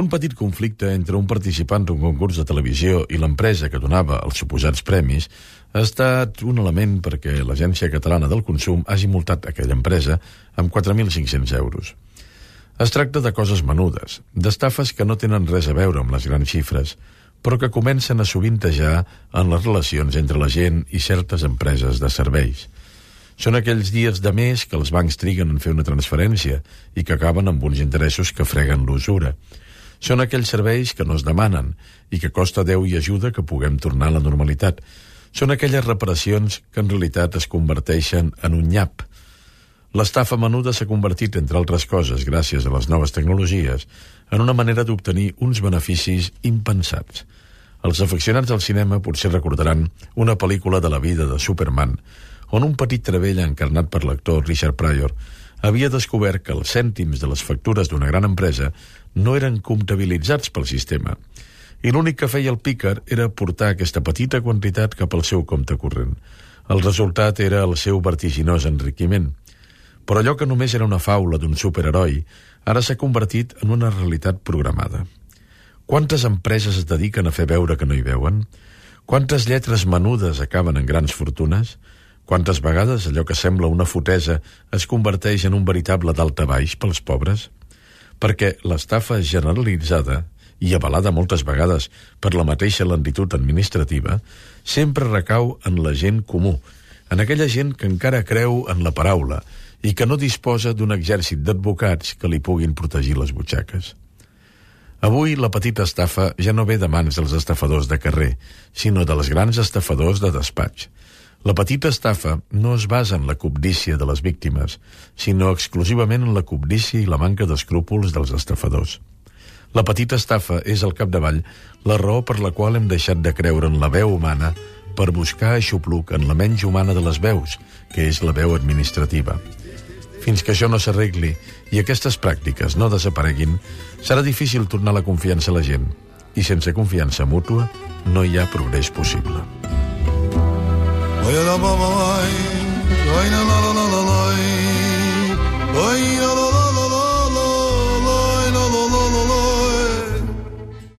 un petit conflicte entre un participant d'un concurs de televisió i l'empresa que donava els suposats premis ha estat un element perquè l'Agència Catalana del Consum hagi multat aquella empresa amb 4.500 euros. Es tracta de coses menudes, d'estafes que no tenen res a veure amb les grans xifres, però que comencen a sovintejar en les relacions entre la gent i certes empreses de serveis. Són aquells dies de mes que els bancs triguen en fer una transferència i que acaben amb uns interessos que freguen l'usura. Són aquells serveis que no es demanen i que costa Déu i ajuda que puguem tornar a la normalitat. Són aquelles reparacions que en realitat es converteixen en un nyap. L'estafa menuda s'ha convertit, entre altres coses, gràcies a les noves tecnologies, en una manera d'obtenir uns beneficis impensats. Els afeccionats al cinema potser recordaran una pel·lícula de la vida de Superman, on un petit trebell encarnat per l'actor Richard Pryor havia descobert que els cèntims de les factures d'una gran empresa no eren comptabilitzats pel sistema, i l'únic que feia el pícar era portar aquesta petita quantitat cap al seu compte corrent. El resultat era el seu vertiginós enriquiment. Però allò que només era una faula d'un superheroi ara s'ha convertit en una realitat programada. Quantes empreses es dediquen a fer veure que no hi veuen? Quantes lletres menudes acaben en grans fortunes? Quantes vegades allò que sembla una fotesa es converteix en un veritable daltabaix pels pobres? Perquè l'estafa generalitzada, i avalada moltes vegades per la mateixa lentitud administrativa, sempre recau en la gent comú, en aquella gent que encara creu en la paraula i que no disposa d'un exèrcit d'advocats que li puguin protegir les butxaques. Avui la petita estafa ja no ve de mans dels estafadors de carrer, sinó dels grans estafadors de despatx. La petita estafa no es basa en la cobdícia de les víctimes, sinó exclusivament en la cobdícia i la manca d'escrúpols dels estafadors. La petita estafa és, al capdavall, la raó per la qual hem deixat de creure en la veu humana per buscar aixopluc en la menys humana de les veus, que és la veu administrativa. Fins que això no s'arregli i aquestes pràctiques no desapareguin, serà difícil tornar la confiança a la gent. I sense confiança mútua no hi ha progrés possible.